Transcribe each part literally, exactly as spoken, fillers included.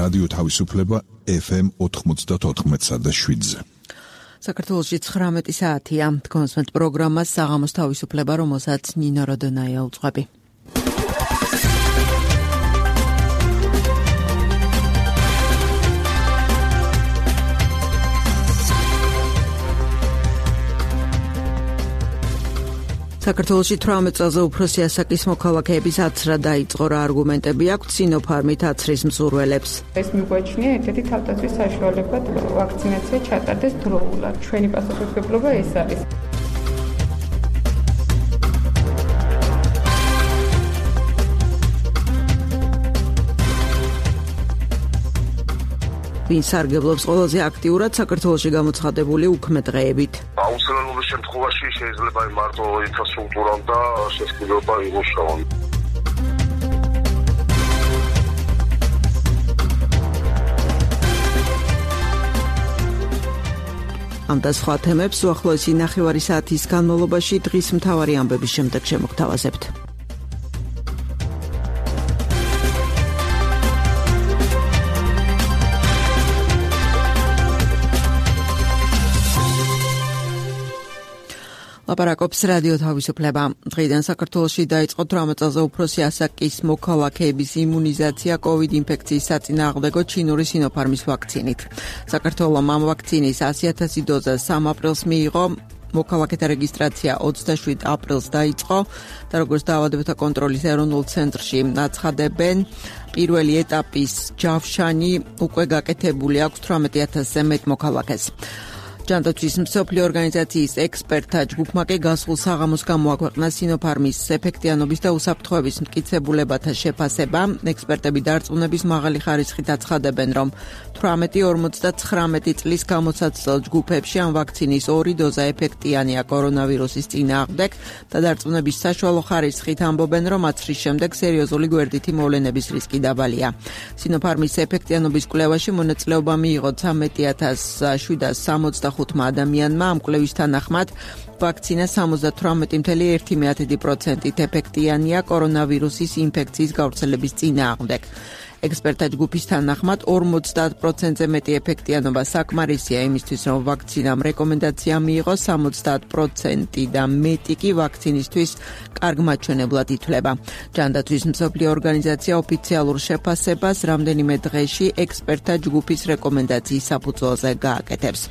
რადიო თავისუფლება ეფ ემ ოთხმოცდაოთხ და შვიდზე. საქართველოში ცხრამეტი საათია. თქვენს პროგრამას საღამოს თავისუფლება, რომელსაც ნინო როდონაია უძღვები. საქართველოში თვრამეტ წელზე უფროსი ასაკის მოქალაქეების აცრა დაიწყო. რა არგუმენტები აქვთ სინოფარმით აცრის მზურველებს? ეს მიგვაჩნია ერთ-ერთი თავდაცვის საშუალება ვაქცინაცია ჩატარდეს დროულად. ჩვენი პასუხისმგებლობა ეს არის. ვინ სარგებლობს ყველაზე აქტიურად საქართველოში გამოცხადებული უქმე-დღეებით? აუცილებლობის შემთხვევაში შეიძლება მარტო ინფრასტრუქტურამ და შესაძლებლობა იყოს. ამ და სხვა თემებს უახლოესი ნახევარი საათის განმავლობაში დღის მთავარი ამბების შემდეგ შემოგთავაზებთ. ლაპარაკობს რადიო თავისუფლება. დღეიდან საქართველოში დაიწყო თვრამეტ წელზე უფროსი ასაკის მოქალაქეების იმუნიზაცია კოვიდ ინფექციის საწინააღმდეგო ჩინური სინოფარმის ვაქცინით. საქართველოს ამ ვაქცინის ასი ათასი დოზა სამ აპრილს მიიღო. მოქალაქეთა რეგისტრაცია ოცდაშვიდ აპრილს დაიწყო და როგორც დაავადებათა კონტროლის ეროვნულ ცენტრში აცხადებენ, პირველი ეტაპის ჯავშანი უკვე გაკეთებული აქვს თვრამეტი ათასზე მეტ მოქალაქეს. ჯანდაცვის მსოფლიო ორგანიზაციის ექსპერტთა ჯგუფმა კი გასულ საღამოს გამოაქვეყნა სინოფარმის ეფექტიანობის და უსაფრთხოების მტკიცებულებათა შეფასება. ექსპერტები დარწმუნების მაღალი ხარისხით აცხადებენ, რომ თვრამეტი ორმოცდაცხრამეტი წლის გამოსაცდელ ჯგუფებში ამ ვაქცინის ორი დოზა ეფექტიანია კორონავირუსის წინააღმდეგ და დარწმუნების საშუალო ხარისხით ამბობენ, რომ აცრის შემდეგ სერიოზული გვერდითი მოვლენების რისკი დაბალია. სინოფარმის ეფექტიანობის კვლევაში მონაწილეობა მიიღო ცხრამეტი ათას შვიდას სამოცდახუთი ადამიანმა. ამ კვლევის თანახმად ვაქცინა სამოცდათვრამეტი წამლ ერთი პროცენტით ეფექტიანია კორონავირუსის ინფექციის გავრცელების წინააღმდეგ. ექსპერტთა ჯგუფის თანახმად ორმოცდაათ პროცენტზე მეტი ეფექტიანობა საკმარისია იმისთვის, რომ ვაქცინამ რეკომენდაცია მიიღოს. სამოცდაათ პროცენტი და მეტი კი ვაქცინისთვის კარგ მაჩვენებლად ითვლება. ჯანდაცვის მსოფლიო ორგანიზაცია ოფიციალურ შეფასებას რამდენიმე დღეში ექსპერტთა ჯგუფის რეკომენდაციის საფუძველზე გააკეთებს.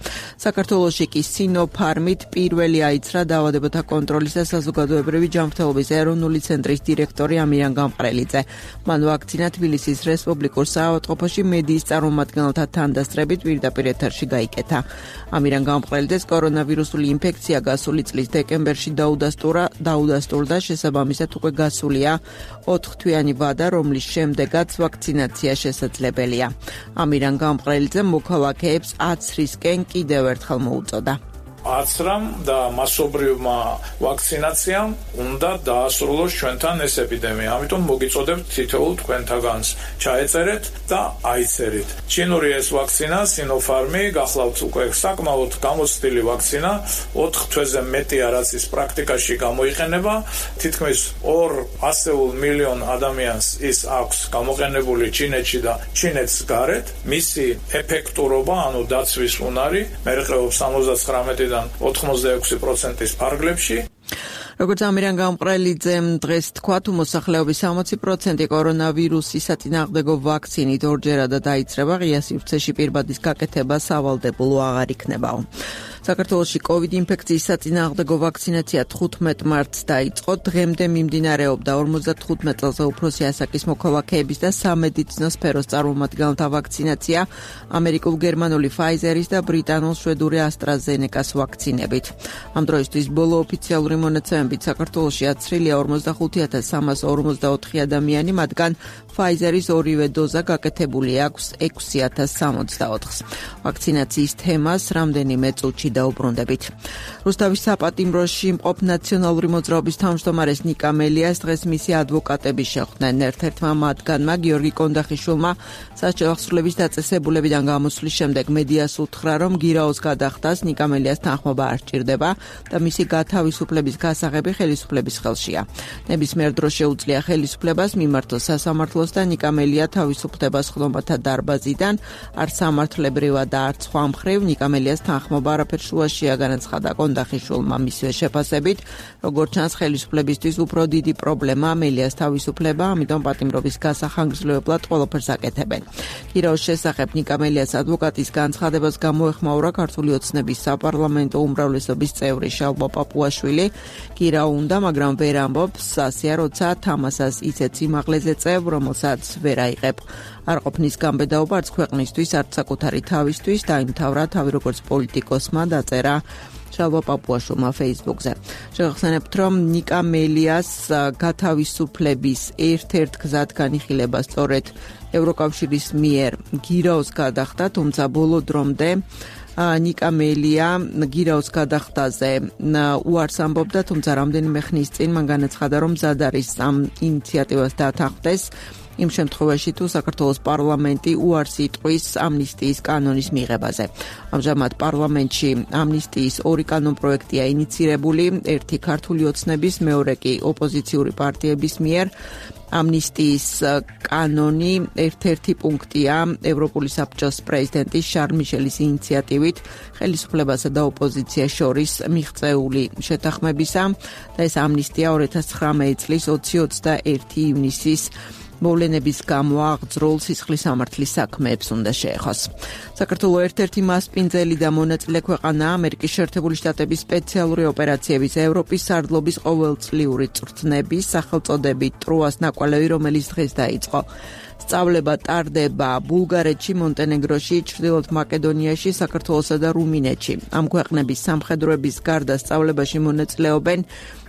საქართველოში კი სინოფარმით პირველი აიცრა დაავადებათა კონტროლის და საზოგადოებრივი ჯანმრთელობის ეროვნული ცენტრის დირექტორი ამირან გამყრელიძე. მან ვაქცინა თბილისის რესპუბლიკურ საავადმყოფოში მედიის წარმომადგენელთა თანდასწრებით პირდაპირ ეთერში გაიკეთა. ამირან გამყრელიძეს კორონავირუსული ინფექცია გასული წლის დეკემბერში დაუდასტურა, დაუდასტურდა, შესაბამისად უკვე გასულია ოთხთვიანი ვადა, რომლის შემდეგაც ვაქცინაცია შესაძლებელია. ამირან გამყრელიძემ მოქალაქეებს აცრისკენ კიდევ ერთხელ მოუწოდა. აცრამ და მასობრივმა ვაქცინაციამ უნდა დაასრულოს ჩვენთან ეს ეპიდემია. ამიტომ მოგიწოდებთ თითოეულ თქვენთაგანს ჩაეწერეთ და აიწერით. ჩინური ეს ვაქცინა სინოფარმი გახლავთ უკვე საკმაოდ გამოცდილი ვაქცინა, ოთხ თვეზე მეტი რაც ის პრაქტიკაში გამოიყენება. თითქმის ორ ასეულ მილიონ ადამიანს ის აქვს გამოყენებული ჩინეთში და ჩინეთს გარეთ. მისი ეფექტურობა, ანუ დაცვის უნარი მერყეობს სამოცდათხრამეტი ოთხმოცდაექვსი პროცენტის ფარგლებში. როგორც ამირან გამყრელიძემ დღეს თქვა, თუ მოსახლეობის სამოცი პროცენტი კორონავირუსის საწინააღმდეგო ვაქცინით ორჯერადად დაიწყება, ღია სივრცეში პირბადის გაკეთება სავალდებულო აღარ იქნებაო. საქართველოში კოვიდ ინფექციის საწინააღმდეგო ვაქცინაცია თხუთმეტ მარტს დაიწყო. დღემდე მიმდინარეობდა ორმოცდათხუთმეტ წელზე უფროსი ასაკის მოქალაქეების და სამედიცინო სფეროს წარმომადგენელთა ვაქცინაცია ამერიკულ-გერმანული Pfizer-ის და ბრიტანულ-შვედური AstraZeneca-ს ვაქცინებით. ამ დროისთვის ბოლო ოფიციალური მონაცემებით საქართველოში აცრილია ორმოცდახუთი ათას სამას ორმოცდაოთხი ადამიანი, მათგან Pfizer-ის ორივე დოზა გაკეთებული აქვს ექვსი ათას სამოცდაოთხს. ვაქცინაციის თემას რამდენიმე წუთში დაუბრუნდებით. რუსთავის საპატიმროში მყოფ ნაციონალური მოძრაობის თავმჯდომარეს ნიკა მელიას დღეს მისი ადვოკატები შეხვდნენ. ერთ-ერთმა მათგანმა გიორგი კონდახიშვილმა სასჯელ აღსრულების დაწესებულებიდან გამოსვლის შემდეგ მედიას უთხრა, რომ გირაოს გადახდას ნიკა მელიას თანხმობა არ სჭირდება და მისი გათავისუფლების გასაღები ხელისუფლების ხელშია. ნებისმიერ დროს შეუძლია ხელისუფლებას მიმართოს სასამართლოს და ნიკა მელია თავისუფლდება ხდომათა დარბაზიდან, არ სამართლებრივად და არც სხვა მხრივ ნიკა მელიას თანხმობა არაფერ შუაშია, განაცხადა კონდახიშვილმა მისივე შეფასებით. როგორც ჩანს, ხელისუფლებისთვის უფრო დიდი პრობლემა მელიას თავისუფლება, ამიტომ პატიმრობის გასახანგრძლივებლად ყველაფერს აკეთებენ. გირაოს შესახებ ნიკა მელიას ადვოკატის განცხადებას გამოეხმაურა ქართული ოცნების საპარლამენტო უმრავლესობის წევრი შალვა პაპუაშვილი. გირაო უნდა, მაგრამ ვერ ამბობს, ასეა, როცა თამასას ისეთ სიმაღლეზე წევ, რომელსაც ვერ აიღებ. არ ყოფნის გამბედაობა არც ქვეყნისთვის, არც საკუთარი თავისთვის, დაიმთავრა თავი როგორც პოლიტიკოსმა, დაწერა შალვა პაპუაშვილმა Facebook-ზე. შევახსენებთ, რომ ნიკა მელიას გათავისუფლების ერთ-ერთ გზად განიხილება სწორედ ევროკავშირის მიერ გირაოს გადახდა, თუმცა ბოლო დრომდე ნიკა მელია გირაოს გადახდაზე უარს ამბობდა, თუმცა რამდენიმე ხნის წინ მან განაცხადა, რომ მზად არის ამ ინიციატივას დათანხმდეს იმ შემთხვევაში, თუ საქართველოს პარლამენტი უარს იტყვის ამნისტიის კანონის მიღებაზე. ამჟამად პარლამენტში ამნისტიის ორი კანონპროექტია ინიცირებული, ერთი ქართული ოცნების, მეორე კი ოპოზიციური პარტიების მიერ. ამნისტიის კანონი ერთ-ერთი პუნქტია ევროპული საბჭოს პრეზიდენტის შარლ მიშელის ინიციატივით ხელისუფლებასა და ოპოზიციას შორის მიღწეული შეთანხმებისა და ეს ამნისტია ორი ათას ცხრამეტი წლის ოცი ოცდაერთი ივნისის მოვლენების გამო აღძრულ სისხლის სამართლის საქმეებს უნდა შეეხოს. საქართველოს ერთ-ერთი მასპინძელი და მონაწილე ქვეყანაა ამერიკის შეერთებული შტატების სპეციალური ოპერაციების ევროპის სარდლობის ყოველწლიური წვრთნების სახელწოდებით ტროას ნაკვალევი, რომელიც დღეს დაიწყო. სწავლება ტარდება ბულგარეთში, მონტენეგროში, ჩრდილოეთ მაკედონიაში, საქართველოსა და რუმინეთში. ამ ქვეყნების სამხედროების გარდა სწავლებაში მონაწილეობენ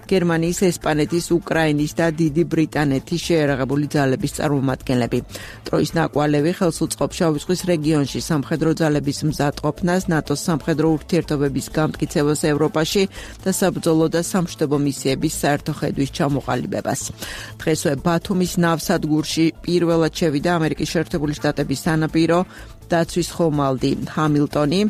გერმანიის, ესპანეთის, უკრაინის და დიდი ბრიტანეთის შეერაღებული ძალების წარმომადგენლები. ტროის ნაკვალევი ხელს უწყობს შავი ზღვის რეგიონში სამხედრო ძალების მზადყოფნას, ნატოს სამხედრო ურთიერთობების გამტკიცებას ევროპაში და საბრძოლო და სამშვიდობო მისიების საერთო ხედვის ჩამოყალიბებას. დღესვე ბათუმის ნავსადგურში პირველად შევიდა ამერიკის შეერთებული შტატების სანაპირო დაცვის ხომალდი ჰამილტონი.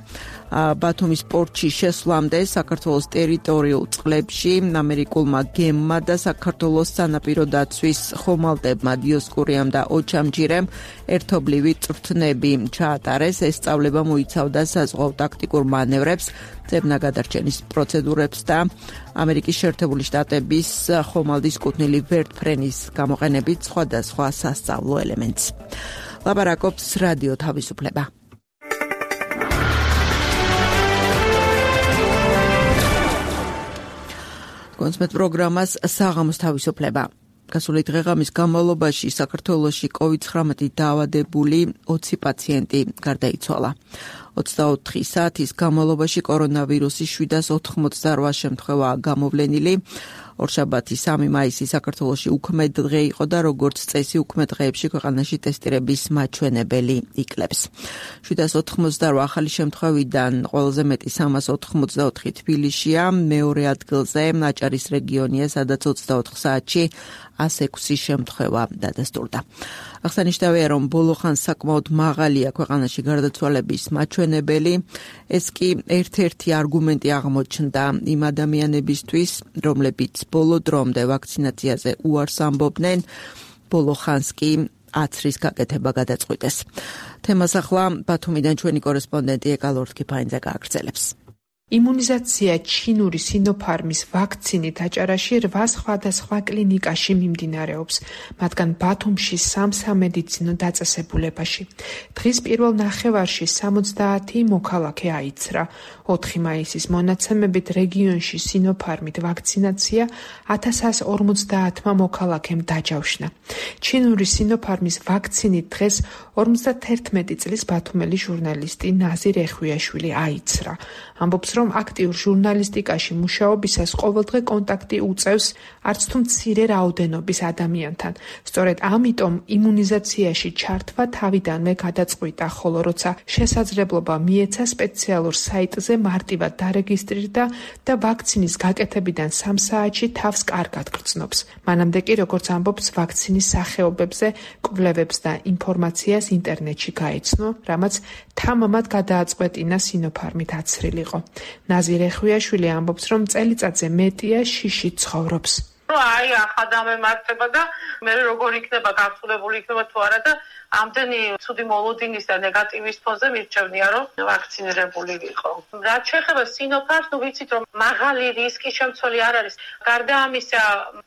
ბათუმის პორტში შესვლამდე საქართველოს ტერიტორიულ წყლებში ამერიკულმა გემმა და საქართველოს სანაპირო დაცვის ხომალდებმა დიოსკურიამ და ოჩამჯირემ ერთობლივი წვრთნები ჩაატარეს. ეს სწავლება მოიცავდა საზღვაო ტაქტიკურ მანევრებს, ძებნაგადარჩენის პროცედურებს და ამერიკის შეერთებული შტატების ხომალდის კუთვნილი ვერტფრენის გამოყენებით სხვადასხვა სასწავლო ელემენტს. ლაპარაკობს რადიო თავისუფლება. კონსმეთ პროგრამას საღამოს თავისუფლება. გასული დღეღამის განმავლობაში საქართველოში კოვიდ ცხრამეტი დაავადებული ოცი პაციენტი გარდაიცვალა. ოცდაოთხი საათის განმავლობაში კორონავირუსის შვიდას ოთხმოცდარვა შემთხვევაა გამოვლენილი. ორშაბათი სამი მაისი საქართველოში უქმედ დღე იყო და როგორც წესი უქმედ დღეებში ქვეყანაში ტესტირების მაჩვენებელი იკლებს. შვიდას ოთხმოცდარვა ახალი შემთხვევიდან ყველაზე მეტი სამას ოთხმოცდაოთხი თბილისშია, მეორე ადგილზე აჭარის რეგიონია, სადაც ოცდაოთხ საათში ასი ექვსი შემთხვევა დადასტურდა. აღსანიშნავია, რომ ბოლო ხანს საკმაოდ მაღალია ქვეყანაში გარდაცვალების მაჩვენებელი. ეს კი ერთ-ერთი არგუმენტი აღმოჩნდა იმ ადამიანებისთვის, რომლებიც ბოლო დრომდე ვაქცინაციაზე უარს ამბობდნენ, ბოლო ხანს კი აცრის გაკეთება გადაწყვიტეს. თემას ახლა ბათუმიდან ჩვენი კორესპონდენტი ეკალ ორთქიფაინძე გააგრძელებს. იმუნიზაცია ჩინური სინოფარმის ვაქცინით აჭარაში რვა სხვადასხვა კლინიკაში მიმდინარეობს, მათგან ბათუმში სამ სამედიცინო დაწესებულებაში. დღის პირველ ნახევარში სამოცდაათი მოქალაქე აიცრა. ოთხი მაისის მონაცემებით რეგიონში სინოფარმით ვაქცინაცია ათას ორმოცდაათმა მოქალაქემ დაჯავშნა. ჩინური სინოფარმის ვაქცინით დღეს ორმოცდათერთმეტი წლის ბათუმელი ჟურნალისტი ნაზირ ეხვიაშვილი აიცრა. ამბობს, რომ აქტიურ ჟურნალისტიკაში მუშაობისას ყოველდღე კონტაქტი უწევს არც თუ მცირე რაოდენობის ადამიანთან. სწორედ ამიტომ იმუნიზაციაში ჩართვა თავიდანვე გადაწყვიტა, ხოლო როცა შესაძლებლობა მიეცა სპეციალურ საიტზე მარტივად დარეგისტრირდა და ვაქცინის გაკეთებიდან სამ საათში თავს კარგად გრძნობს. მანამდე კი, როგორც ამბობს, ვაქცინის სახეობებზე კვლევებს და ინფორმაციას ინტერნეტში გაეცნო, რამაც თამამად გადააწყვეტინა სინოფარმით აცრილიყო. ნაზირე ხვიაშვილი ამბობს, რომ წელიწადზე მეტია შიში ცხოვრობს. აი ახლა დამემართება და მე როგორ იქნება გართულებული იქნება თუ არა და ამდენი ცუდი მოლოდინის და ნეგატივის ფონზე მირჩევნია რომ ვაქცინირებული ვიყო. რაც შეეხება სინოფარს, ნუ ვიცით რომ მაღალი რისკის შემცველი არ არის. გარდა ამისა,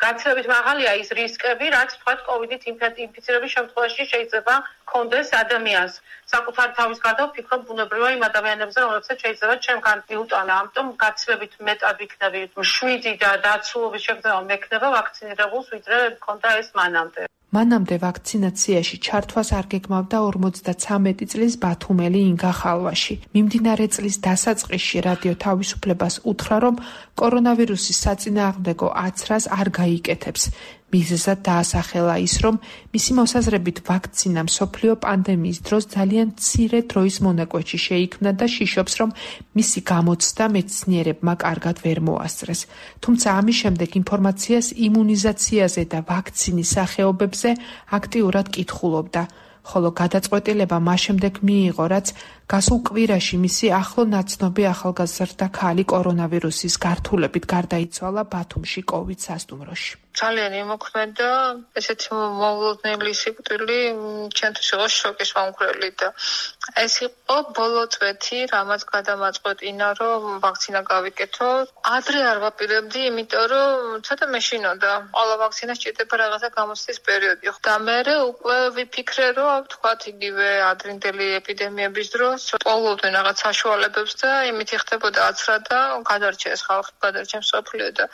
გაცილებით მაღალია ის რისკები, რაც თქვა კოვიდით ინფიცირების შემთხვევაში შეიძლება კონდეს ადამიანს. საკუთარ თავის გარდა ვფიქრობ ბუნებრივია იმ ადამიანებზე, რომლებსაც შეიძლება ჩემგან მიუტანა. ამიტომ გაცილებით მეტად ვიქნები მშვიდი და დაცულობის შეგრძნება მექნება ვაქცინირებულს, ვიდრე მქონდა ეს მანამდე. მანამდე ვაქცინაციაში ჩართვას არ გეგმავდა ორმოცდაცამეტი წლის ბათუმელი ინგა ხალვაში. მიმდინარე წლის დასაწყისში რადიო თავისუფლებას უთხრა, რომ კორონავირუსის საწინააღმდეგო აცრას არ გაიკეთებს. მიზეზად დაასახელა ის, რომ მისი მოსაზრებით ვაქცინა მსოფლიო პანდემიის დროს ძალიან მცირე დროის მონაკვეთში შეიქმნა და შიშობს, რომ მისი გამოცდა მეცნიერებმა კარგად ვერ მოასწრეს. თუმცა ამის შემდეგ ინფორმაციას იმუნიზაციაზე და ვაქცინის სახეობებზე აქტიურად კითხულობდა, ხოლო გადაწყვეტილება მას შემდეგ მიიღო, რაც გასულ კვირაში მისი ახლო ნაცნობი ახალგაზრდა ქალი კორონავირუსის გართულებით გარდაიცვალა ბათუმში კოვიდ სასტუმროში. ძალიან იმოქმედა, ესეთი მოულოდნელი სიკვდილი ჩემთვის იყო შოკის მომხრელი და ეს იყო ბოლო წვეთი, რამაც გადამაწყვეტინა, რომ ვაქცინა გავიკეთო. ადრე არ ვაპირებდი, იმიტომ რომ ცოტა მეშინოდა. ყველა ვაქცინას ჭირდება რაღაცა გამოცდის პერიოდი. და მე უკვე ვიფიქრე, რომ თქვათ იგივე ადრინდელი ეპიდემიების დროს ტყოლობდნენ რაღაც საშუალებებს და იმით ხდებოდა აცრა და გადარჩეს ხალხი, გადარჩეს მსოფლიო და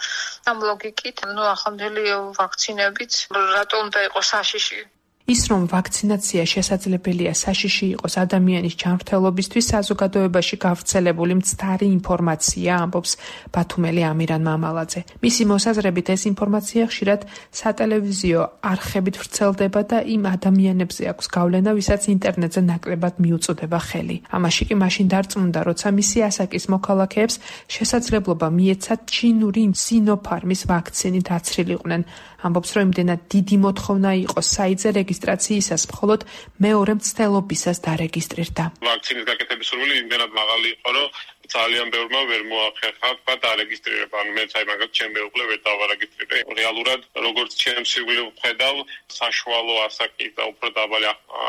ამ ლოგიკით, ნუ ახლა ვაქცინებით რატომ უნდა იყოს საშიში? ის რომ ვაქცინაცია შესაძლებელია საშიში იყოს ადამიანის ჯანმრთელობისთვის, საზოგადოებაში გავრცელებული მცდარი ინფორმაცია, ამბობს ბათუმელი ამირან მამალაძე. მისი მოსაზრებით ეს ინფორმაცია ხშირად სატელევიზიო არხებით ვრცელდება და იმ ადამიანებზე აქვს გავლენა, ვისაც ინტერნეტზე ნაკლებად მიუწოდება ხელი. ამაში კი მაშინ დარწმუნდა, როცა მისი ასაკის მოქალაქეებს შესაძლებლობა მიეცათ ჩინური სინოფარმის ვაქცინით აცრილიყვნენ. ამბობს, რომ იმდენად დიდი მოთხოვნა იყო საიტზე რეგისტრაციისას, მხოლოდ მეორე მცდელობისას დარეგისტრირდა. ვაქცინის გაკეთების სურვილი იმდენად მაღალი იყო, რომ ძალიან ბევრმა ვერ მოახერხა და დარეგისტრირება. ანუ მეც აი მაგათ ჩემ მეუღლე ვერ დავარეგისტრირე. რეალურად როგორც ჩემ სიკვდილ ვხედავ, საშუალო ასაკის და უფრო დაბალი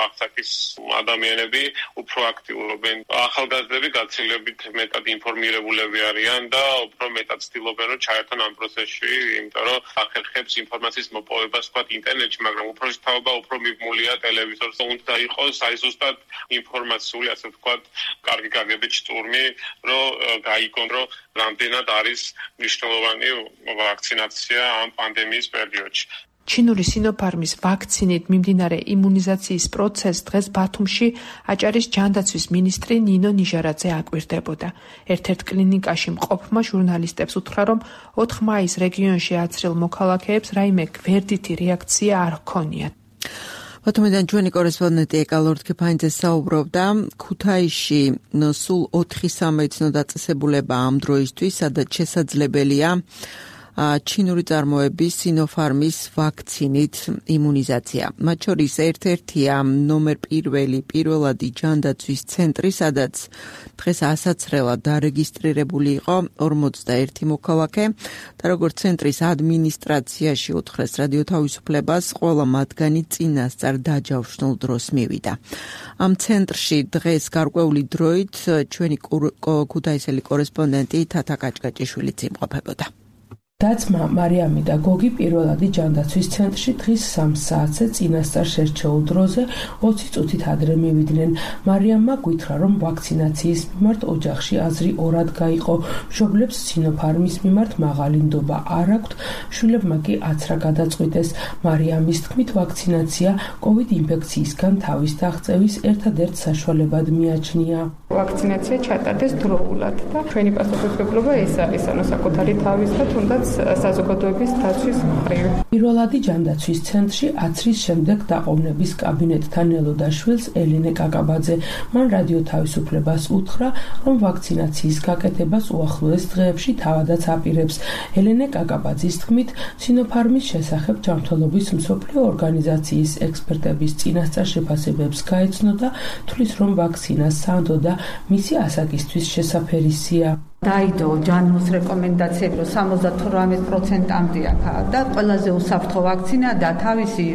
ასაკის ადამიანები უფრო აქტიურობენ. ახალგაზრდები გაცილებით მეტად ინფორმირებულები არიან და უფრო მეტად ცდილობენ რომ ჩაერთონ ამ პროცესში, იმიტომ რომ ახერხებს ინფორმაციის მოპოვებას თქვა ინტერნეტში, მაგრამ უფრო შეთაობა უფრო მიბმულია ტელევიზორზე. უნდა იყოს აი ზუსტად ინფორმაციული, ასე ვთქვათ, კარგი გაგებით შტურმი, რომ გაიგონ, რომ რამდენად არის მნიშვნელოვანი ვაქცინაცია ამ პანდემიის პერიოდში. ჩინური სინოფარმის ვაქცინით მიმდინარე იმუნიზაციის პროცესს დღეს ბათუმში აჭარის ჯანდაცვის მინისტრი ნინო ნიჟარაძე აკვირდებოდა. ერთ-ერთ კლინიკაში მყოფმა ჟურნალისტებს უთხრა, რომ ოთხ მაისს რეგიონში აცრილ მოქალაქეებს რაიმე გვერდითი რეაქცია არ ჰქონიათ. ბათუმიდან ჩვენი კორესპონდენტი ეკა ლორდ-ქეფანიძე საუბრობდა ქუთაისში სულ ოთხი სამედიცინო დაწესებულება ამ დროისთვის, სადაც შესაძლებელია ჩინური წარმოების სინოფარმის ვაქცინით იმუნიზაცია. მათ შორის ერთ-ერთია ნომერ პირველი პირველადი ჯანდაცვის ცენტრი, სადაც დღეს ასაცრელად დარეგისტრირებული იყო ორმოცდაერთი მოქალაქე და როგორც ცენტრის ადმინისტრაციაში უთხრეს რადიო თავისუფლებას, ყველა მათგანი წინასწარ დაჯავშნულ დროს მივიდა. ამ ცენტრში დღეს გარკვეული დროით ჩვენი ქუთაისელი კორესპონდენტი თათა კაჭკაჭიშვილიც იმყოფებოდა. დაცმა მარიამი და გოგი პირველადი ჯანდაცვის ცენტრში დღის სამ საათზე წინასწარ შერჩეულ დროზე ოცი წუთით ადრე მივიდნენ. მარიამმა გვითხრა, რომ ვაქცინაციის მიმართ ოჯახში აზრი ორად გაიყო. მშობლებს სინოფარმის მიმართ მაღალი ნდობა არ აქვთ, შვილებმა კი აცრა გადაწყვიტეს. მარიამის თქმით, ვაქცინაცია კოვიდ ინფექციისგან თავის დაღწევის ერთადერთ საშუალებად მიაჩნია. ვაქცინაცია ჩატარდეს დროულად და ჩვენი პასუხისმგებლობა ეს არის, ანუ საკუთარი თავის და თუნდაც საზოგადოების დაცვის მხრივ. პირველადი ჯანდაცვის ცენტრში აცრის შემდეგ დაყოვნების კაბინეტთან ელოდა შვილს ელენე კაკაბაძე. მან რადიო თავისუფლებას უთხრა, რომ ვაქცინაციის გაკეთებას უახლოეს დღეებში თავადაც აპირებს. ელენე კაკაბაძის თქმით, სინოფარმის შესახებ ჯანმრთელობის მსოფლიო ორგანიზაციის ექსპერტების წინასწარ შეფასებებს გაეცნო და თვლის, რომ ვაქცინა სანდო და მისი ასაკისთვის შესაფერისია. დაიდო ჯანმოს რეკომენდაციები, რომ სამოცდათვრამეტ პროცენტამდე აქვს და ყველაზე უსაფრთხო ვაქცინა და თავისი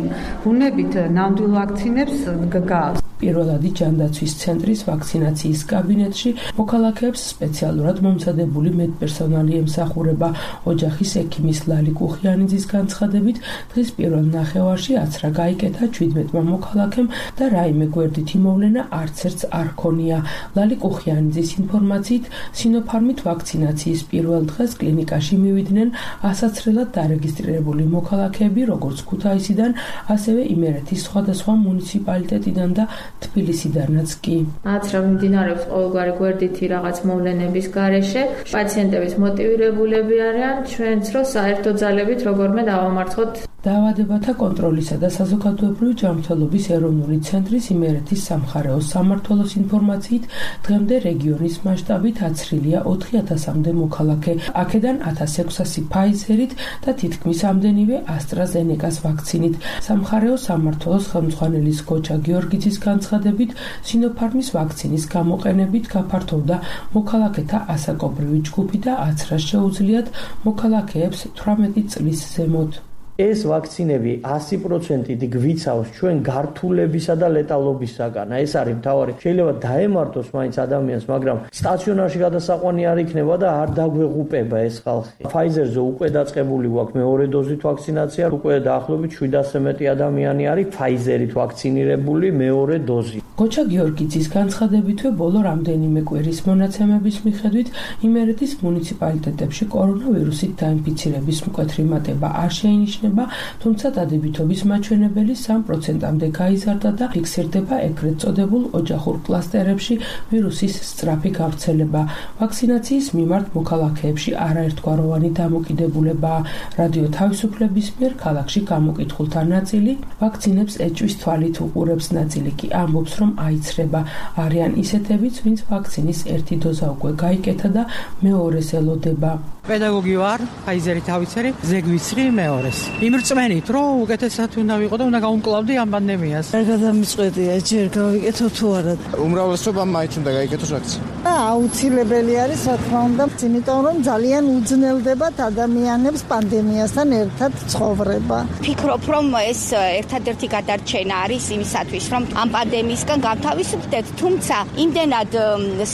ბუნებით ნამდვილ ვაქცინებს გგავს. პირველადი ჯანდაცვის ცენტრის ვაქცინაციის კაბინეტში მოქალაქეებს სპეციალურად მომზადებული მედპერსონალი ემსახურება. ოჯახის ექიმის ლალი კუხიანიძის განცხადებით, დღის პირველ ნახევარში აცრა გაიკეთა ჩვიდმეტმა მოქალაქემ და რაიმე გვერდითი მოვლენა არც ერთს არ ჰქონია. ლალი კუხიანიძის ინფორმაციით, სინოფარმით ვაქცინაციის პირველ დღეს კლინიკაში მივიდნენ ასაცრელად დარეგისტრირებული მოქალაქეები, როგორც ქუთაისიდან, ასევე იმერეთის სხვადასხვა მუნიციპალიტეტიდან და თბილისიდანაც კი. აცრა მიმდინარეობს ყოველგვარი გვერდითი რაღაც მოვლენების გარეშე. პაციენტების მოტივირებულები არიან, ჩვენც რო საერთო ძალებით როგორმე დავამარცხოთ. დაავადებათა კონტროლისა და საზოგადოებრივი ჯანმრთელობის ეროვნული ცენტრის იმერეთის სამხარეო სამმართველოს ინფორმაციით, დღემდე რეგიონის მასშტაბით აცრილია ოთხი ათასამდე მოქალაქე. აქედან ათას ექვსასი ფაიზერით და თითქმის ამდენივე ასტრაზენეკას ვაქცინით. სამხარეო სამმართველოს ხელმძღვანელის გოჩა გიორგიძის განცხადებით, სინოფარმის ვაქცინის გამოყენებით გაფართოვდა მოქალაქეთა ასაკობრივი ჯგუფი და აცრას შეუძლიათ მოქალაქეებს თვრამეტი წლის ზემოთ. ეს ვაქცინები ასი პროცენტით გვიცავს ჩვენ გართულებისა და ლეტალობისაგან. ეს არის მთავარი. შეიძლება დაემართოს მაინც ადამიანს, მაგრამ სტაციონარში გადასაყვანი არ იქნება და არ დაგვეღუპება ეს ხალხი. ფაიზერზე უკვე დაწყებული გვაქვს მეორე დოზით ვაქცინაცია, უკვე დაახლოებით შვიდასზე მეტი ადამიანი არის ფაიზერით ვაქცინირებული მეორე დოზით. გოჩა გიორგიძის განცხადებითვე ბოლო რამდენიმე კვირის მონაცემების მიხედვით იმერეთის მუნიციპალიტეტებში კორონავირუსით დაინფიცირების მკვეთრი მატება არ შეინიშნება, თუმცა დადებითობის მაჩვენებელი სამ პროცენტამდე გაიზარდა და ფიქსირდება ეგრეთ წოდებულ ოჯახურ კლასტერებში ვირუსის სწრაფი გავრცელება. ვაქცინაციის მიმართ მოქალაქეებში არაერთგვაროვანი დამოკიდებულებაა. რადიო თავისუფლების მიერ ქალაქში გამოკითხულთა ნაწილი ვაქცინებს ეჭვის თვალით უყურებს, ნაწილი კი ამბობს, რომ აიცრება. არიან ისეთებიც, ვინც ვაქცინის ერთი დოზა უკვე გაიკეთა და მეორეს ელოდება. პედაგოგი ვარ, ფაიზერით ავიცერი, ზეგვიცრი მეორეს. იმრწმენით, რომ უკეთესად უნდა ვიყო და უნდა გავუმკლავდი ამ პანდემიას. არ გადამწყვეტია, ჯერ გავიკეთო თუ არა. უმრავლესობამ მაინც უნდა გაიკეთოს ვაქცინა. აუცილებელი არის, რა თქმა უნდა, იმიტომ რომ ძალიან უძნელდებათ ადამიანებს პანდემიასთან ერთად ცხოვრება. ფიქრობ, რომ ეს ერთადერთი გადარჩენა არის იმისათვის, რომ ამ პანდემიისგან გავთავისუფლდეთ, თუმცა იმდენად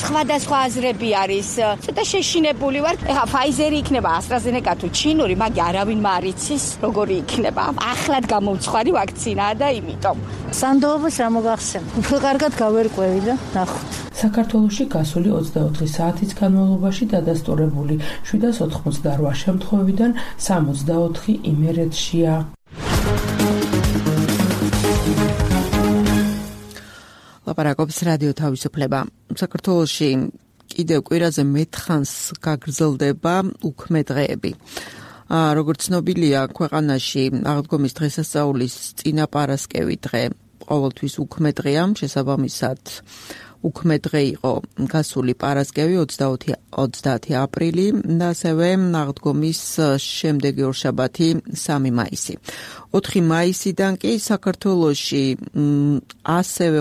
სხვადასხვა აზრები არის, ცოტა შეშინებული ვარ. ეხა ფაიზერი იქნება ასტრაზენეკა თუ ჩინური, მაგრამ არავინ არ იცის როგორი იქნება. ახლად გამოვცხვარი ვაქცინაა და იმიტომ სანდოობას რა მოგახსენ. უფრო კარგად გავერკვევი და ნახოთ. საქართველოში გასული ოცდაოთხი საათის განმავლობაში დადასტურებული შვიდას ოთხმოცდაოთხ შემთხვევიდან სამოცდაოთხი იმერეთშია. ლაპარაკობს რადიო თავისუფლება. საქართველოში კიდევ კვირაზე მეთხანს გაგრძელდება უქმე დღეები. როგორც ცნობილია, ქვეყანაში აღდგომის დღესასწაულის წინაპარასკევი დღე ყოველთვის უქმე დღეა, შესაბამისად უქმე დღე იყო გასული პარასკევი ოცდაათი აპრილი და ასევე აღდგომის შემდეგი ორშაბათი სამი მაისი. ოთხი მაისიდან კი საქართველოში ასევე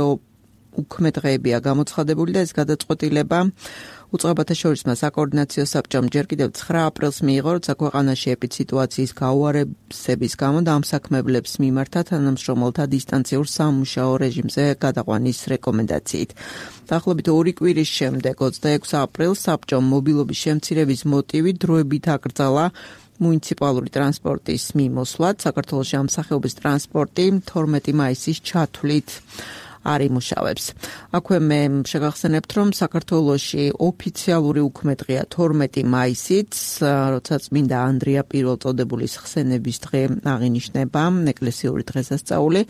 უქმე დღეებია გამოცხადებული და ეს გადაწყვეტილება უწყებათა შორისმა საკოორდინაციო საბჭომ ჯერ კიდევ ცხრა აპრილს მიიღო, როცა ქვეყანაში ეპიდსიტუაციის გაუარესების გამო დამსაქმებლებს მიმართა თანამშრომელთა დისტანციურ სამუშაო რეჟიმზე გადაყვანის რეკომენდაციით. დაახლოებით ორი კვირის შემდეგ, ოცდაექვსი აპრილს საბჭომ მობილობის შემცირების მოტივით დროებით აკრძალა მუნიციპალური ტრანსპორტის მიმოსვლად. საქართველოში ამ სახეობის ტრანსპორტი თორმეტი მაისის ჩათვლით არ იმუშავებს. აქვე მე შეგახსენებთ, რომ საქართველოში ოფიციალური უქმედღია თორმეტი მაისიც, როცა წმინდა ანდრია პირველწოდებულის ხსენების დღე აღინიშნება ეკლესიური დღესასწაული.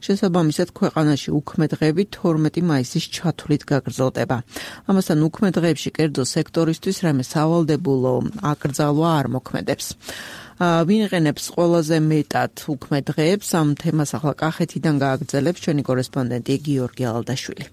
შესაბამისად, ქვეყანაში უქმედღები თორმეტი მაისის ჩათვლით გაგრძელდება. ამასთან უქმედღებში კერძო სექტორისთვის რამე სავალდებულო აკრძალვა არ მოქმედებს. ვინყენებს ყველაზე მეტად უქმედ დღეებს ამ თემას ახლა კახეთიდან გააგრძელებს ჩვენი კორესპონდენტი გიორგი ალდაშვილი.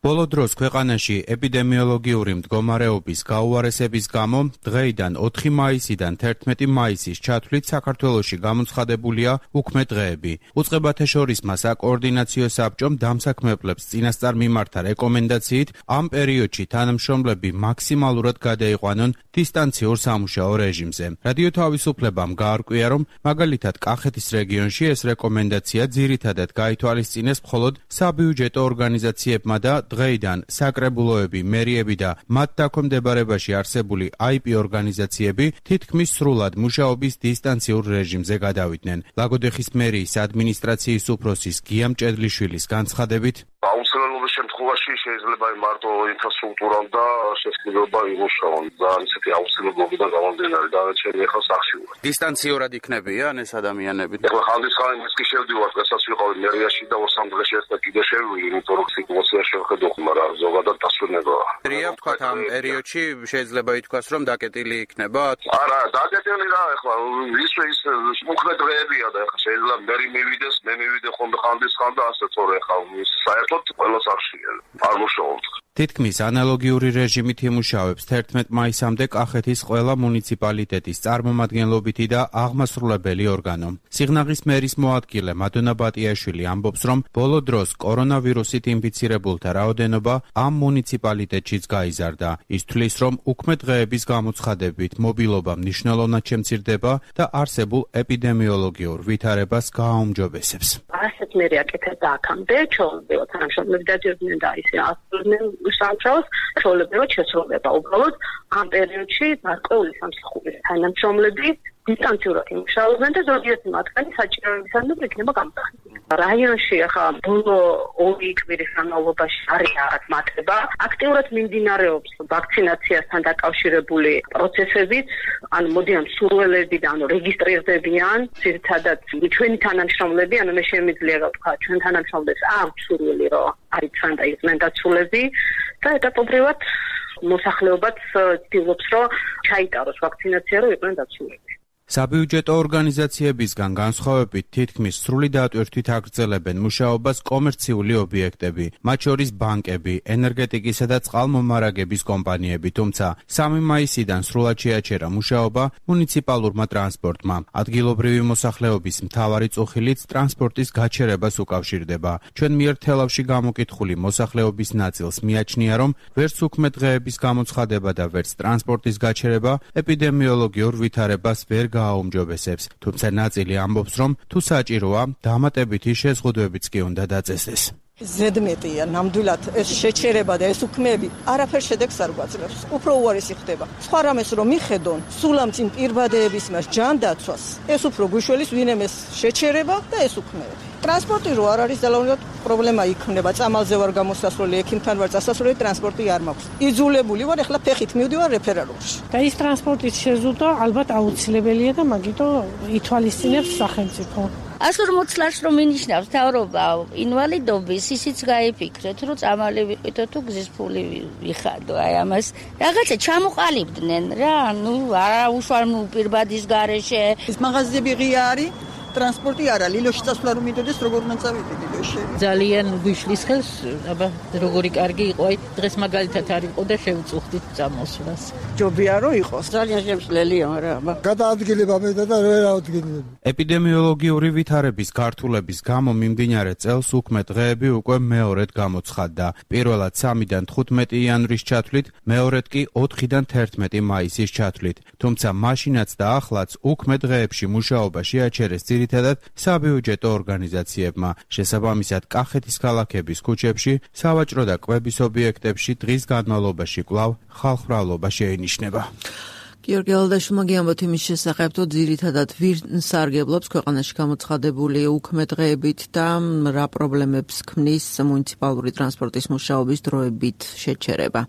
ბოლო დროს ქვეყანაში ეპიდემიოლოგიური მდგომარეობის გაუარესების გამო დღეიდან ოთხი მაისიდან თერთმეტი მაისის ჩათვლით საქართველოში გამოცხადებულია უქმედ დღეები. უწყებათა შორისმა საკოორდინაციო საბჭომ დამსაქმებლებს წინასწარ მიმართა რეკომენდაციით ამ პერიოდში თანამშრომლები მაქსიმალურად გადაიყვანონ დისტანციურ სამუშაო რეჟიმზე. რადიო თავისუფლებამ გაარკვია, რომ მაგალითად კახეთის რეგიონში ეს რეკომენდაცია ძირითადად გაითვალისწინეს მხოლოდ საბიუჯეტო ორგანიზაციებმა და დღეიდან საკრებულოები, მერიები და მათ დაქვემდებარებაში არსებული აი პი ორგანიზაციები თითქმის სრულად მუშაობის დისტანციურ რეჟიმზე გადავიდნენ. ლაგოდეხის მერიის ადმინისტრაციის უფროსის გია მჭედლიშვილის განცხადებით, აუცილებლობის შემთხვევაში შეიძლება მარტო ინფრასტრუქტურამ და შესაძლებლობა იმუშაონ და ისეთი აუცილებლობიდან გამომდინარე დანარჩენი ახლა სახში ვარ. დისტანციურად იქნებიან ეს ადამიანები. ახლა ხანდისხანი ის კი შევდივარ, დღესაც ვიყავი მერიაში და ორ სამ დღეში ერთად კიდე შევივი, იმიტომ რომ სიტუაცია შევხედო, მაგრამ ზოგადად დასვენებაა. რია ვთქვათ ამ პერიოდში შეიძლება ითქვას, რომ დაკეტილი იქნება? არა, დაკეტილი რა, ახლა ისე ის უქმედ დღეებია და ახლა შეიძლება მერი მივიდეს, მე მივიდე ხოლმე ხანდისხან და ასე თორე ახლა საერთოდ ყველა სახში არ მუშაობთ. თითქმის ანალოგიური რეჟიმით იმუშავებს თერთმეტ მაისამდე კახეთის ყველა მუნიციპალიტეტის წარმომადგენლობითი და აღმასრულებელი ორგანო. სიღნაღის მერის მოადგილე მადონა ბატიაშვილი ამბობს, რომ ბოლო დროს კორონავირუსით ინფიცირებულთა რაოდენობა ამ მუნიციპალიტეტშიც გაიზარდა. ის თვლის, რომ უქმედ დღეების გამოცხადებით მობილობა მნიშვნელოვნად შემცირდება და არსებულ ეპიდემიოლოგიურ ვითარებას გააუმჯობესებს. ასეთ მერე აკეთებდა აქამდე, ჩვეულებრივად თანამშრომლები დადიოდნენ და ისე ასრულებდნენ სამუშაოს, ჩვეულებრივად შესრულება. უბრალოდ ამ პერიოდში გარკვეული სამსახურის თანამშრომლები დისტანციურად იმუშავებენ და ზოგიერთი მათგანი საჭიროებისამებრ იქნება გამოსახული. რაიონში ახლა ბოლო ორი კვირის განმავლობაში არის რაღაც მატება. აქტიურად მიმდინარეობს ვაქცინაციასთან დაკავშირებული პროცესებიც, ანუ მოდიან სურვილები და ანუ რეგისტრირდებიან, ძირითადად ჩვენი თანამშრომლები, ანუ მე შემიძლია ვთქვა, ჩვენ თანამშრომლებს აქვს სურვილი, რომ არიცან და იყვნენ დაცულები და ეტაპობრივად მოსახლეობაც ცდილობს, რომ ჩაიტაროს ვაქცინაცია, რომ იყვნენ დაცულები. საბიუჯეტო ორგანიზაციებისგან განსხვავებით თითქმის სრული დატვირთვით აგრძელებენ მუშაობას კომერციული ობიექტები, მათ შორის ბანკები, ენერგეტიკისა და წყალმომარაგების კომპანიები, თუმცა სამი მაისიდან სრულად შეაჩერა მუშაობა მუნიციპალურმა ტრანსპორტმა. ადგილობრივი მოსახლეობის მთავარი წუხილიც ტრანსპორტის გაჩერებას უკავშირდება. ჩვენ მიერ თელავში გამოკითხული მოსახლეობის ნაწილს მიაჩნია, რომ ვერც უქმედ დღეების გამოცხადება და ვერც ტრანსპორტის გაჩერება ეპიდემიოლოგიურ ვითარებას ვერ გააუმჯობესებს, თუმცა ნაწილი ამბობს, რომ თუ საჭიროა, დამატებითი შეზღუდვებიც კი უნდა დაწესდეს. ზედმეტია ნამდვილად ეს შეჩერება და ეს უქმეები არაფერ შედეგს არ გვაძლევს. უფრო უარესი ხდება. სხვა რამეს რომ მიხედონ, სულ ამ წინ პირბადეების მას ჯანდაცვას, ეს უფრო გვიშველის ვინემეს შეჩერება და ეს უქმეები. ტრანსპორტი რო არ არის ძალოვნად პრობლემა იქნება. წამალზე ვარ გამოსასვლელი, ექიმთან ვარ წასასვლელი, ტრანსპორტი არ მაქვს. იძულებული ვარ ახლა ფეხით მივდივარ რეფერალურში. და ის ტრანსპორტის შეზღუდვა ალბათ აუცილებელია და მაგითო ითვალისწინებს სახელმწიფო. ასურ მოცლარს რომ მინიშნავს თავრობა ინვალიდობის, ისიც გაიფიქრეთ, რომ წამალი ვიყიდო თუ გზის ფული ვიხადო. აი ამას რაღაცა ჩამოყალიბდნენ რა, ნუ არა უშუალო პირბადის გარეშე. ეს მაღაზიები ღია არის. ტრანსპორტი არა, ლილოში წასვლა რომ მიდოდეს, როგორ უნდა წავიდე ლილოში? ძალიან გვიშლის ხელს, აბა როგორი კარგი იყო, აი დღეს მაგალითად არ იყო და შევწუხდით წამოსვლას. ჯობია რომ იყოს. ძალიან შემსვლელია, მაგრამ აბა გადაადგილება მე და ვერ ავდგინებ. ეპიდემიოლოგიური ვითარების გართულების გამო მიმდინარე წელს უქმე დღეები უკვე მეორედ გამოცხადდა. პირველად სამიდან თხუთმეტი იანვრის ჩათვლით, მეორედ კი ოთხიდან თერთმეტი მაისის ჩათვლით. თუმცა მაშინაც და ახლაც უქმე დღეებში მუშაობა შეაჩერეს ძირითადად საბიუჯეტო ორგანიზაციებმა. შესაბამისად, კახეთის ქალაქების ქუჩებში, სავაჭრო და კვების ობიექტებში დღის განმავლობაში კვლავ ხალხმრავლობა შეინიშნება. გიორგი ალდაშვილმა გიამბოთ იმის შესახებ, თუ ძირითადად ვინ სარგებლობს ქვეყანაში გამოცხადებული უქმე დღეებით და რა პრობლემებს ქმნის მუნიციპალური ტრანსპორტის მუშაობის დროებით შეჩერება.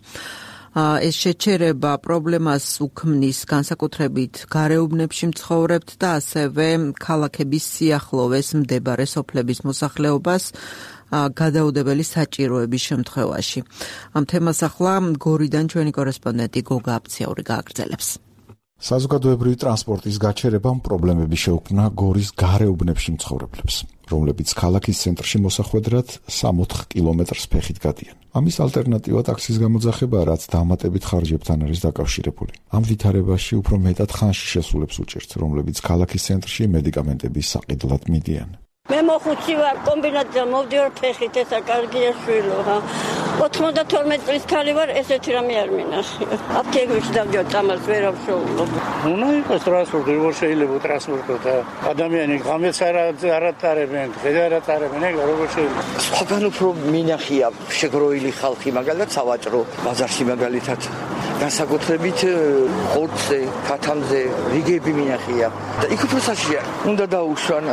ეს შეჩერება პრობლემას უქმნის განსაკუთრებით გარეუბნებში მცხოვრებთ და ასევე ქალაქების სიახლოვეს მდებარე სოფლების მოსახლეობას გადაუდებელი საჭიროების შემთხვევაში. ამ თემას ახლა გორიდან ჩვენი კორესპონდენტი გოგა აფციაური გააგრძელებს. საზოგადოებრივი ტრანსპორტის გაჩერებამ პრობლემები შეუქმნა გორის გარეუბნებში მცხოვრებლებს, რომლებიც ქალაქის ცენტრში მოსახვედრად სამ-ოთხ კილომეტრს ფეხით გადიან. ამის ალტერნატივა ტაქსის გამოძახება, რაც დამატებით ხარჯებთან არის დაკავშირებული. ამ ვითარებაში უფრო მეტად ხანში შესულებს უჭერთ, რომლებიც ქალაქის ცენტრში მედიკამენტების საყიდლად მიდიან. მე მოხუცი ვარ, კომბინატზე მოვდივარ ფეხით, ესა კარგია შვილო, რა. ოცდათორმეტ წლის ქალი ვარ, ესეთი რამე არ მინახია. აფთიაქებში დავდივარ წამალს, ვერ ავშოულობ. უნდა იყოს ტრანსპორტი, როგორ შეიძლება ტრანსპორტი და ადამიანი ღამეც არ ატარებენ, დღეს არ ატარებენ, ეგ როგორ შეიძლება. სხვაგან უფრო მინახია შეგროილი ხალხი, მაგალითად სავაჭრო ბაზარში მაგალითად განსაკუთრებით ხორცზე, ქათამზე რიგები მინახია და იქ უფრო საშია. უნდა დაუშვან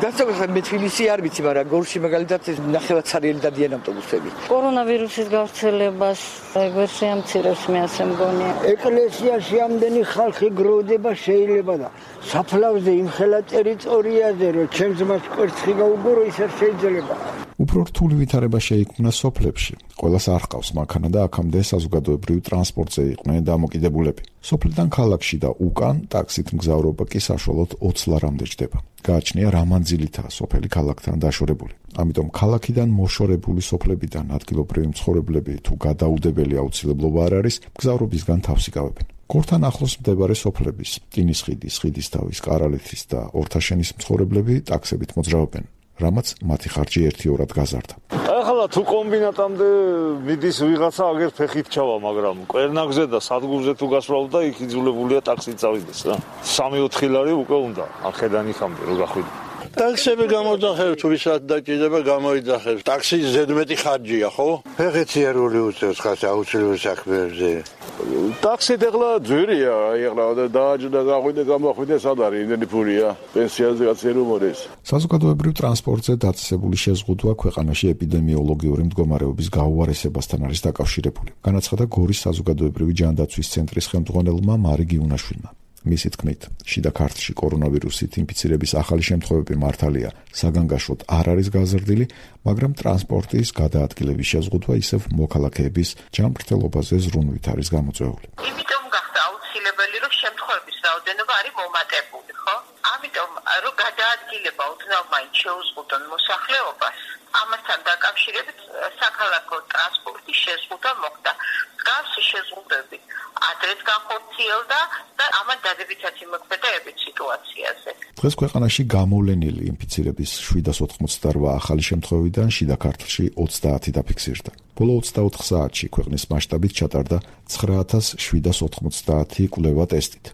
განსაკუთრებით მე თბილისი არ ვიცი, მაგრამ გორში მაგალითად ნახევარსარიელი დადიან ავტობუსები. კორონავირუსის გავრცელებას ვერ შეამცირებს, მე ასე მგონია. ეკლესიაში ამდენი ხალხი გროვდება შეიძლება და საფლავზე იმხელა ტერიტორიაზე რომ ჩემს მას კვერცხი გაუგორო, ის არ შეიძლება. უფრო რთული ვითარება შეიქმნა სოფლებში. ყველას არ ჰყავს მანქანა და აქამდე საზოგადოებრივ ტრანსპორტზე იყვნენ დამოკიდებულები. სოფლიდან ქალაქში და უკან ტაქსით მგზავრობა კი საშუალოდ ოცი ლარამდე ჯდება. გააჩნია რა მანძილითაა სოფელი ქალაქთან დაშორებული. ამიტომ ქალაქიდან მოშორებული სოფლებიდან ადგილობრივი მცხოვრებლები თუ გადაუდებელი აუცილებლობა არ არის, მგზავრობისგან თავს იკავებენ. გორთან ახლოს მდებარე სოფლების, ტინისხიდის, ხიდისთავის, კარალეთის და ორთაშენის მცხოვრებლები ტაქსებით მოძრაობენ, რამაც მათი ხარჯი ერთიორად გაზარდა. ახლა თუ კომბინატამდე მიდის ვიღაცა აგერ ფეხით ჩავა, მაგრამ კვერნაგზე და სადგურზე თუ გასვლავ და იქ იძულებულია ტაქსით წავიდეს რა. სამი-ოთხი ლარი უკვე უნდა, არხედან იქამდე რო გახვიდე. ტაქსები გამოძახებს, თუ ვისაც დაჭირდება გამოიძახებს. ტაქსი ზედმეტი ხარჯია, ხო? ფეხეთი არ უნდა უწევს ხას აუცილებლად საქმეებზე. ტაქსით ახლა ძვირია, აი ახლა დააჯდა გახვიდე, გამოხვიდე, სად არის იმდენი ფულია? პენსიაზე კაცი რომ მოდის. საზოგადოებრივ ტრანსპორტზე დაწესებული შეზღუდვა ქვეყანაში ეპიდემიოლოგიური მდგომარეობის გაუარესებასთან არის დაკავშირებული. განაცხადა გორის საზოგადოებრივი ჯანდაცვის ცენტრის ხელმძღვანელმა მარი გიუნაშვილმა. მისი თქმით, შიდა ქართლში კორონავირუსით ინფიცირების ახალი შემთხვევები მართალია საგანგაშოდ არ არის გაზრდილი, მაგრამ ტრანსპორტის გადაადგილების შეზღუდვა ისევ მოქალაქეების ჯანმრთელობაზე ზრუნვით არის გამოწვეული. იმიტომ გახდა აუცილებელი, რომ შემთხვევების რაოდენობა არის მომატებული, ხო? ამიტომ რომ გადაადგილება ოდნავ მაინც შეუზღუდონ მოსახლეობას, ამასთან დაკავშირებით საქალაქო ტრანსპორტის შეზღუდვა მოხდა. მსგავსი შეზღუდვები ადრეც განხორციელდა და ამან დადებითად იმოქმედა ებით სიტუაციაზე. დღეს ქვეყანაში გამოვლენილი ინფიცირების შვიდას ოთხმოცდარვა ახალი შემთხვევიდან შიდა ქართლში ოცდაათი დაფიქსირდა. ბოლო ოცდაოთხ საათში ქვეყნის მასშტაბით ჩატარდა ცხრა ათას შვიდას ოთხმოცდაათი კვლევა ტესტით.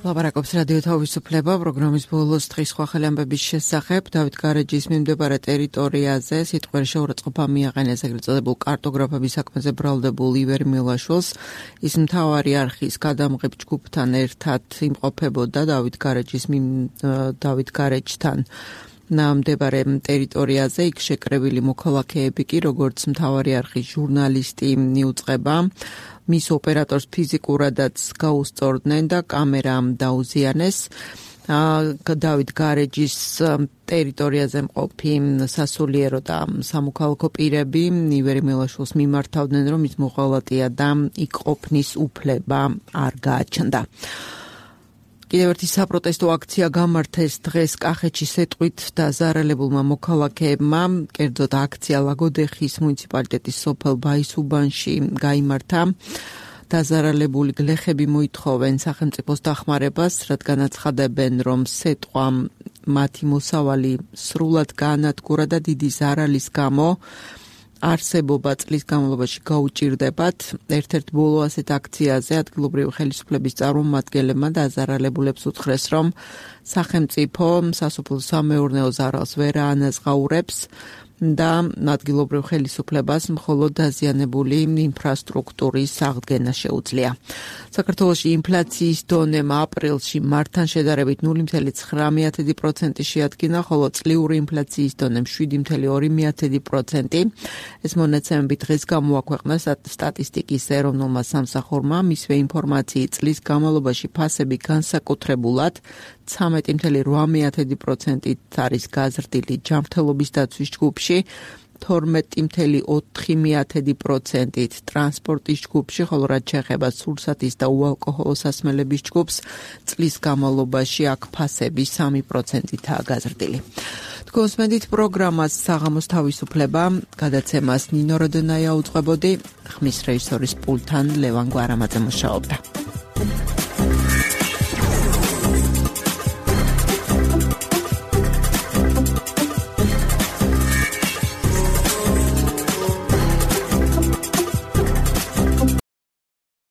ლაპარაკობს რადიო თავისუფლება პროგრამის ბოლოს დღის სხვა ხელი ამბების შესახებ. დავით გარეჯის მიმდებარე ტერიტორიაზე სიტყვიერ შეურაცხყოფა მიაყენეს ეგრეთ წოდებულ კარტოგრაფების საქმეზე ბრალდებულ ივერ მილაშვილს. ის მთავარი არხის გადამღებ ჯგუფთან ერთად იმყოფებოდა დავით გარეჯის დავით გარეჯთან ნამდვილ ტერიტორიაზე. იქ შეკრებილი მოქალაქეები კი როგორც მთავარი არხის ჟურნალისტი მიუწყება. მის ოპერატორს ფიზიკურადაც გაუსწორდნენ და კამერამ დაუზიანეს. დავით გარეჯის ტერიტორიაზე მყოფი სასულიერო და სამოქალაქო პირები ივერი მელაშვილს მიმართავდნენ, რომ ის მოღალატეა და იქ ყოფნის უფლება არ გააჩნდა. კიდევ ერთი საპროტესტო აქცია გამართეს დღეს კახეთში სეტყვით დაზარალებულმა მოქალაქეებმა. კერძოდ აქცია ლაგოდეხის მუნიციპალიტეტის სოფელ ბაისუბანში გაიმართა. დაზარალებული გლეხები მოითხოვენ სახელმწიფოს დახმარებას, რადგან აცხადებენ, რომ სეტყვა მათი მოსავალი სრულად გაანადგურა და დიდი ზარალის გამო არსებობა წლის განმავლობაში გაუჭირდებათ. ერთ-ერთ ბოლო ასეთ აქციაზე ადგილობრივი ხელისუფლების წარმომადგენლებმა დაზარალებულებს უთხრეს, რომ სახელმწიფო სასოფლო-სამეურნეო ზარალს ვერ აანაზღაურებს და ადგილობრივ ხელისუფლებას მხოლოდ დაზიანებული ინფრასტრუქტურის აღდგენა შეუძლია. საქართველოში ინფლაციის დონემა აპრილში მარტთან შედარებით ნული ფاصლე ცხრა პროცენტი შეადგინა, ხოლო წლიური ინფლაციის დონემ შვიდი ფاصლე ორი პროცენტი. ეს მონაცემები დღეს გამოაქვეყნა სტატისტიკის ეროვნულმა სამსახურმა. მისვე ინფორმაციით წლის განმავლობაში ფასები განსაკუთრებულად ცამეტი ფاصლე რვა პროცენტით არის გაზრდილი ჯანმრთელობის დაცვის ჯგუფში, თორმეტი ფاصლე ოთხი პროცენტით ტრანსპორტის ჯგუფში, ხოლო რაც შეეხება სურსათის და უალკოჰოლო სასმელების ჯგუფს, წლის განმავლობაში აქ ფასები სამი პროცენტითაა გაზრდილი. თქვენსმენდით პროგრამას საღამოს თავისუფლება, გადაცემას ნინო როდონაია უძღვებოდი, ხმის რეჟისორის პულტთან ლევან გვარამაძე მუშაობდა.